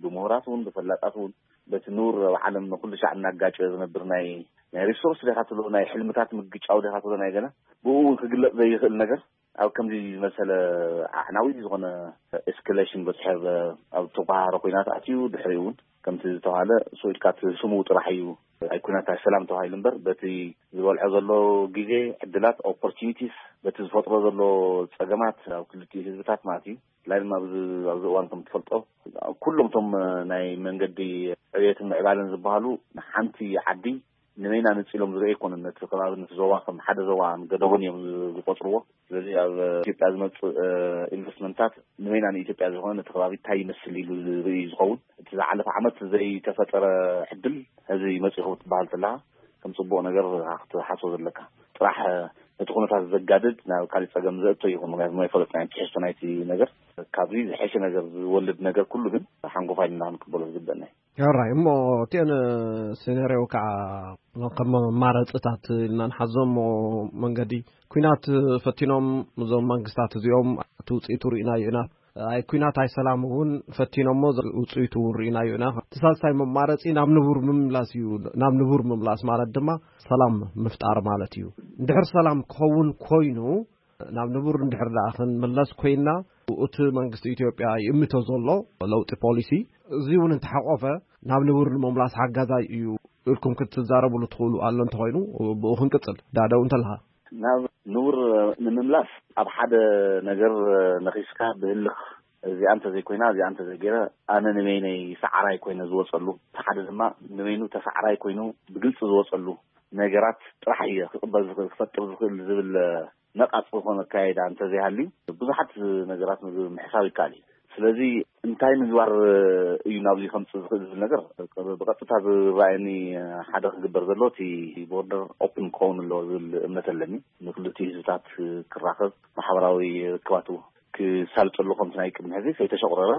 ብምሁራት እውን ብፈላጣት እውን በቲ ንቡር ኣብ ዓለም ንኩሉ ሻዕ እናጋጨ ዝነብር ናይ ናይ ሪሶርስ ዲኻ ትብሎ ናይ ሕልምታት ምግጫው ዲኻ ትብሎ ናይ ገና ብኡ እውን ክግለፅ ዘይኽእል ነገር ኣብ ከምዚ ዝመሰለ ኣዕናዊ ዝኾነ ኤስካሌሽን በፅሐ ኣብ ተጓሃረ ኮይናት ኣትዩ ድሕሪኡ እውን ከምቲ ዝተባሃለ ስኢድካ እቲ ስሙ ጥራሕ እዩ ኣይኩናት ሰላም ተባሂሉ እምበር በቲ ዝበልዖ ዘሎ ግዜ ዕድላት ኦፖርቹኒቲስ በቲ ዝፈጥሮ ዘሎ ፀገማት ኣብ ክልቲኡ ህዝብታት ማለት እዩ። ብፍላይ ድማ ኣብዚ ኣብዚ እዋን ከም ትፈልጦ ኩሎም እቶም ናይ መንገዲ ዕብየትን ምዕባለን ዝበሃሉ ንሓንቲ ዓዲ ንበይና ነፂሎም ዝርኢ ኣይኮኑን። ነቲ ከባቢ ነቲ ዞባ ከም ሓደ ዞባ ገደቦን እዮም ዝቆፅርዎ። ስለዚ ኣብ ኢትዮጵያ ዝመፅእ ኢንቨስትመንታት ንበይና ንኢትዮጵያ ዝኾነ ነቲ ከባቢ እንታይ ይመስል ኢሉ ዝርኢ ዝኸውን። እቲ ዝሓለፈ ዓመት ዘይተፈጠረ ዕድል ሕዚ መፂኹም ክትበሃል ተለካ ከም ፅቡቕ ነገር ክትሓስቦ ዘለካ ጥራሕ ነቲ ኩነታት ዘጋድድ ናብ ካሊእ ፀገም ዘእቶ ይኹን። ምክንያቱ ኣይፈለጥናዮ ትሕዝቶ ናይቲ ነገር። ካብዚ ዝሐሸ ነገር ዝወልድ ነገር ኩሉ ግን ሓንጎፋይ ኢልና ክንቅበሎ ዝግበአና እዩ። ራይ እሞ እቲአን ሴነርዮ ከዓ ከም መማረፅታት ኢልና ንሓዞ እሞ መንገዲ ኩናት ፈቲኖም እዞም መንግስታት እዚኦም እቲ ውፅኢቱ ርኢናዮ ኢና። ኣይ ኩናት ኣይ ሰላም እውን ፈቲኖሞ ውፅኢቱ እውን ርኢናዮ ኢና። እቲ ሳልሳይ መማረፂ ናብ ንቡር ምምላስ እዩ። ናብ ንቡር ምምላስ ማለት ድማ ሰላም ምፍጣር ማለት እዩ። እንድሕር ሰላም ክኸውን ኮይኑ ናብ ንቡር እንድሕር ደኣ ክንምለስ ኮይና እቲ መንግስቲ ኢትዮጵያ ይእምቶ ዘሎ ለውጢ ፖሊሲ እዚ እውን እንተሓቆፈ ናብ ንቡር ንምምላስ ሓጋዛይ እዩ ኢልኩም ክትዛረብሉ ትኽእሉ ኣሎ እንተኮይኑ ብኡ ክንቅፅል ዳደው እንተለካ ናብ ንቡር ንምምላስ ኣብ ሓደ ነገር ነኺስካ ብህልኽ እዚኣ እንተዘይኮይና እዚኣ እንተዘይገይረ ኣነ ንበይነይ ሰዓራይ ኮይነ ዝወፀሉ እቲ ሓደ ድማ ንበይኑ ተሰዓራይ ኮይኑ ብግልፂ ዝወፀሉ ነገራት ጥራሕ እየ ክቕበል ዝኽእል ክፈጥር ዝኽእል ዝብል ነቓፅ ዝኾነ ኣካይዳ እንተዘይሃልዩ ብዙሓት ነገራት ምሕሳብ ይከኣል እዩ። ስለዚ እንታይ ምግባር እዩ ናብዚ ከምፅእ ዝኽእል ዝብል ነገር ብቐጥታ ዝረኣየኒ ሓደ ክግበር ዘሎ እቲ ቦርደር ኦፕን ክኸውን ኣለዎ ዝብል እምነት ኣለኒ። ንክልቲኡ ህዝብታት ክራኸብ፣ ማሕበራዊ ርክባቱ ክሳልጠሉ፣ ከምቲ ናይ ቅድሚ ሕዚ ከይተሸቑረረ፣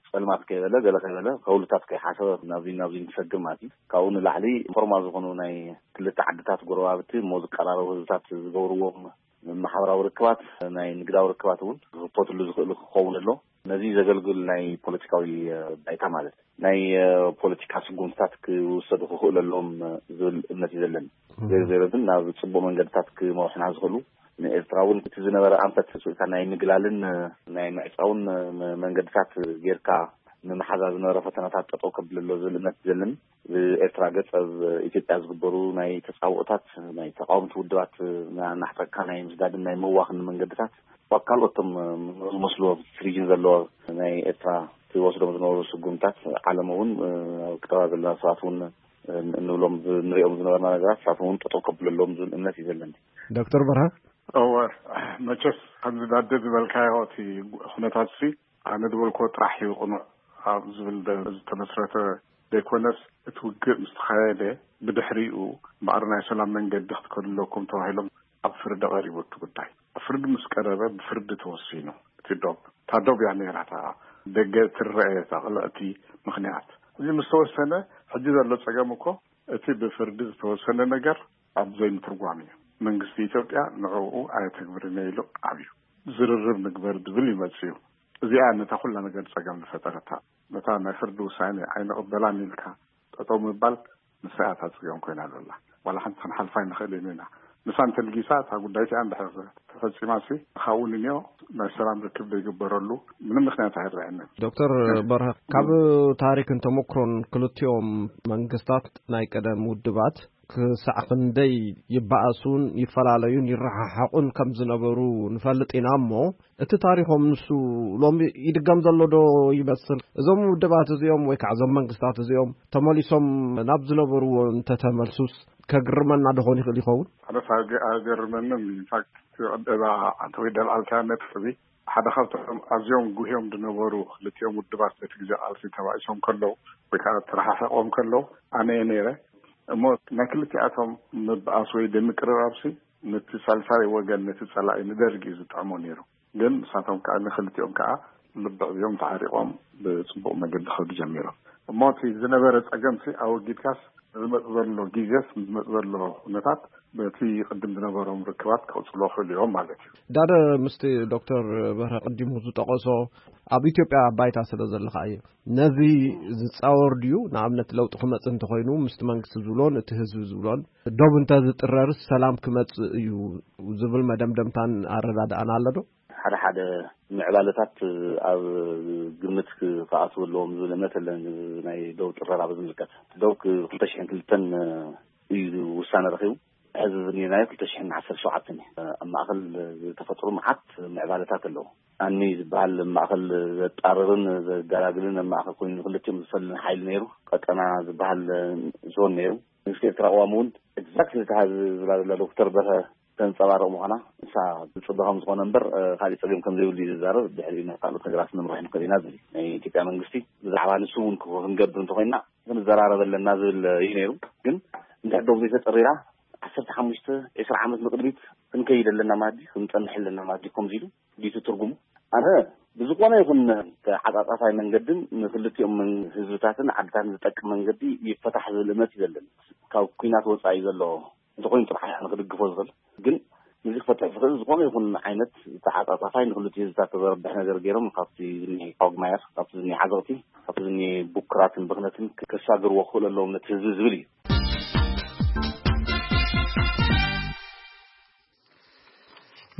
ጸልማት ከይበለ፣ ገለ ከይበለ፣ ከውልታት ከይሓሰበ ናብዚ ናብዚ ክሰግር ማለት እዩ። ካብኡ ንላዕሊ ፎርማል ዝኾኑ ናይ ክልተ ዓድታት ጎረባብቲ እሞ ዝቀራረቡ ህዝብታት ዝገብርዎም ማሕበራዊ ርክባት፣ ናይ ንግዳዊ ርክባት እውን ክኽፈትሉ ዝኽእል ክኸውን ኣሎ። ነዚ ዘገልግል ናይ ፖለቲካዊ ባይታ ማለት ናይ ፖለቲካ ስጉምትታት ክውሰዱ ክኽእሉ ኣለዎም ዝብል እምነት እዩ ዘለኒ። ገለ ገለ ግን ናብ ጽቡቕ መንገድታት ክመርሑና ዝኽእሉ፣ ንኤርትራ እውን እቲ ዝነበረ ኣንፈት ስእታ ናይ ምግላልን ናይ ምዕጻውን መንገድታት ጌርካ ንምሓዛ ዝነበረ ፈተናታት ጠጠው ከብለሎ ዝብል እምነት እዩ ዘለኒ። ብኤርትራ ገጽ ኣብ ኢትዮጵያ ዝግበሩ ናይ ተጻብኦታት ናይ ተቃወምቲ ውድባት ናሕጠካ ናይ ምስዳድን ናይ ምእዋኽን መንገድታት ኣብ ካልኦቶም ዝመስልዎ ሪጅን ዘለዎ ናይ ኤርትራ ትወስዶም ዝነበሩ ስጉምታት ዓለም እውን ኣብ ከተማ ዘለና ሰባት እውን እንብሎም ንሪኦም ዝነበርና ነገራት ንሳቶም እውን ጠጠው ከብለሎም ዝብል እምነት እዩ ዘለኒ። ዶክተር በርሃ። እወ፣ መቸስ ከምዚ ዳደ ዝበልካዮ እቲ ኩነታት ሲ ኣነ ዝበልኮ ጥራሕ እዩ ቅኑዕ ኣብ ዝብል ዝተመስረተ ዘይኮነስ፣ እቲ ውግእ ምስ ተኻየደ ብድሕሪኡ እምበኣር ናይ ሰላም መንገዲ ክትከዱ ኣለኩም ተባሂሎም ኣብ ፍርዲ ቀሪቡ እቲ ጉዳይ። ኣብ ፍርዲ ምስ ቀረበ ብፍርዲ ተወሲኑ እቲ ዶብ። እታ ዶብ እያ ነይራ እታ ደገ ትረአ እታ ቅልዕቲ ምኽንያት። እዚ ምስ ተወሰነ ሕጂ ዘሎ ጸገም እኮ እቲ ብፍርዲ ዝተወሰነ ነገር ኣብ ዘይምትርጓም እዩ። መንግስቲ ኢትዮጵያ ንዕኡ ኣየተግብርን እየ ኢሉ ኣብዩ። ዝርርብ ንግበር ዝብል ይመጽእ እዩ። እዚኣ ነታ ኩላ ነገር ጸገም ዝፈጠረታ፣ ነታ ናይ ፍርዲ ውሳኔ ኣይንቕበላን ኢልካ ጠጠው ምባል፣ ንሳ እያ እታ ጸገም ኮይና ዘላ። ዋላ ሓንቲ ክንሓልፋ ኣይንኽእልን ኢና። ንሳ እንተልጊሳ እታ ጉዳይ እቲኣ እንድሕር ተፈጺማሲ፣ ካብኡ ንንዮ ናይ ሰላም ርክብ ዘይግበረሉ ምንም ምኽንያት ኣይረኣየንን። ዶክተር በርሀ፣ ካብ ታሪክን ተሞክሮን ክልቲኦም መንግስታት ናይ ቀደም ውድባት ክሳዕ ክንደይ ይበኣሱን ይፈላለዩን ይረሓሓቑን ከም ዝነበሩ ንፈልጥ ኢና እሞ፣ እቲ ታሪኾም ንሱ ሎሚ ይድገም ዘሎ ዶ ይመስል? እዞም ውድባት እዚኦም ወይ ከዓ እዞም መንግስታት እዚኦም ተመሊሶም ናብ ዝነበርዎ እንተተመልሱስ ከግርመና ዶ ኾን ይኽእል ይኸውን? ኣነስ ኣገ- ኣገርመንን። ኢንፋክት እቲ ቀደባ ኣንተ ወይ ደልዓልካ ነጥቢ ሓደ ካብቶም ኣዝዮም ጉህዮም ዝነበሩ ክልቲኦም ውድባት በቲ ግዜ ቃልሲ ተባኢሶም ከለዉ ወይ ከዓ ተረሓሒቖም ከለዉ ኣነ እየ ነይረ። እሞ ናይ ክልቲኣቶም ምብኣስ ወይ ደምቅርራብሲ ነቲ ሳልሳይ ወገን፣ ነቲ ጸላኢ ንደርጊ እዩ ዝጥዕሞ ነይሩ። ግን ንሳቶም ከዓ ንክልቲኦም ከዓ ልብዕ እዮም ተዓሪቖም ብጽቡቕ መገዲ ክኸዱ ጀሚሮም። እሞ እቲ ዝነበረ ጸገምሲ ኣወጊድካስ ንዝመጽእ ዘሎ ግዜስ ንዝመጽእ ዘሎ ኩነታት በቲ ቅድም ዝነበሮም ርክባት ክቕጽሎ ክኽእሉ እዮም ማለት እዩ። ዳደ ምስቲ ዶክተር በርሀ ቅዲሙ ዝጠቐሶ ኣብ ኢትዮጵያ ባይታ ስለ ዘለኻ እዩ። ነዚ ዝጻወር ድዩ? ንኣብነት ለውጢ ክመጽእ እንተኾይኑ ምስቲ መንግስቲ ዝብሎን እቲ ህዝቢ ዝብሎን ዶብ እንተ ዝጥረርስ ሰላም ክመጽእ እዩ ዝብል መደምደምታን ኣረዳድኣን ኣሎ ዶ? ሓደ ሓደ ምዕባለታት ኣብ ግምት ክኣትዉ ኣለዎም ዝብል እምነት ኣለኒ። ናይ ዶብ ጥረራ ብዝምልከት ዶብ ክልተ ሽሕን ክልተን እዩ ውሳነ ረኺቡ። ሕዚ ዝኒናዮ ክልተ ሽሕን ዓሰርተ ሸውዓተን እዩ። ኣብ ማእኸል ዝተፈጥሩ መዓት ምዕባለታት ኣለዉ። ኣኒ ዝበሃል ማእኸል ዘጣርርን ዘጋላግልን ኣብ ማእኸል ኮይኑ ንክልቲኦም ዝፈልን ሓይሊ ነይሩ። ቀጠና ዝበሃል ዞን ነይሩ። መንግስቲ ኤርትራ ቅዋም እውን ኤግዛክትሊ እታ ዝብላ ዘላ ዶክተር በርሀ ተንጸባርቕ ምዃና ንሳ ዝጽበ ከም ዝኾነ እምበር ካሊእ ጸገም ከም ዘይብሉ እዩ ዝዛረብ። ድሕሪኡ ናይ ካልኦት ነገራት ንምርሕ ንኽእል ኢና ዝብል ናይ ኢትዮጵያ መንግስቲ ብዛዕባ ንሱ እውን ክንገብር እንተኮይንና ክንዘራረብ ኣለና ዝብል እዩ ነይሩ። ግን እንድሕር ዶብ ዘይተጸሪራ ዓሰርተ ሓሙሽተ ዕስራ ዓመት ንቕድሚት ክንከይድ ኣለና ማለት ድዩ? ክንጸንሕ ኣለና ማለት ድዩ? ከምዚ ኢሉ ድዩ ትርጉሙ? ኣነ ብዝኾነ ይኹን ተዓጻጻፋይ መንገድን ንክልቲኦም ህዝብታትን ዓድታትን ዝጠቅም መንገዲ ይፈታሕ ዝብል እምነት እዩ ዘለኒ። ካብ ኲናት ወጻኢ ዘሎ እንተኾይኑ ጥራሕ ኢና ንክድግፎ ዝኽእል። ግን ንዚ ክፈትሕ ዝኽእል ዝኾነ ይኹን ዓይነት ተዓጻጻፋይ ንክልቲኡ ህዝብታት ዘረብሕ ነገር ገይሮም ካብቲ ዝኒ ኳግማየር፣ ካብቲ ዝኒ ዓዘቕቲ፣ ካብቲ ዝኒ ቡክራትን ብኽነትን ከሳግርዎ ክኽእሉ ኣለዎም ነቲ ህዝቢ ዝብል እዩ።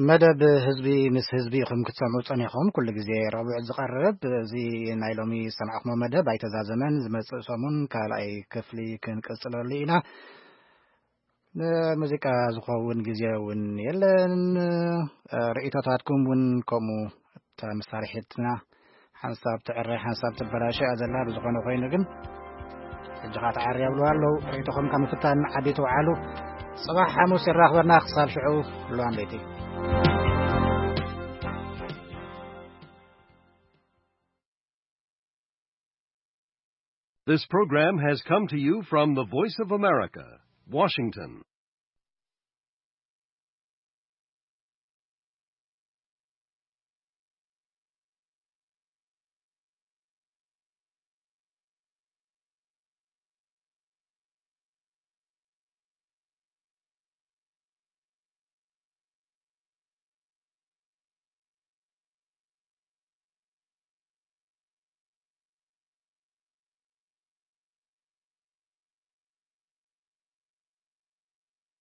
መደብ ህዝቢ ምስ ህዝቢ ኢኹም ክትሰምዑ ጸኒኹም። ኩሉ ግዜ ረቡዕ ዝቐርብ እዚ ናይ ሎሚ ዝሰማዕኹሞ መደብ ኣይተዛዘመን። ዝመጽእ ሰሙን ካልኣይ ክፍሊ ክንቅጽለሉ ኢና። ንሙዚቃ ዝኸውን ግዜ እውን የለን። ርእይቶታትኩም እውን ከምኡ። እታ መሳርሒትና ሓንሳብ ትዕረ ሓንሳብ ትበላሾ እያ ዘላ። ብዝኾነ ኮይኑ ግን ሕጂ ኸዓ ተዓርያ ብልዋ ኣለዉ። ርእይቶኹም ካብ ምፍታን ዓዲ ትውዓሉ። ጽባሕ ሓሙስ ይራኽበና። ክሳብ ሽዑ፣ ሉዋም ቤቲ። This program has come to you from the Voice of America, Washington.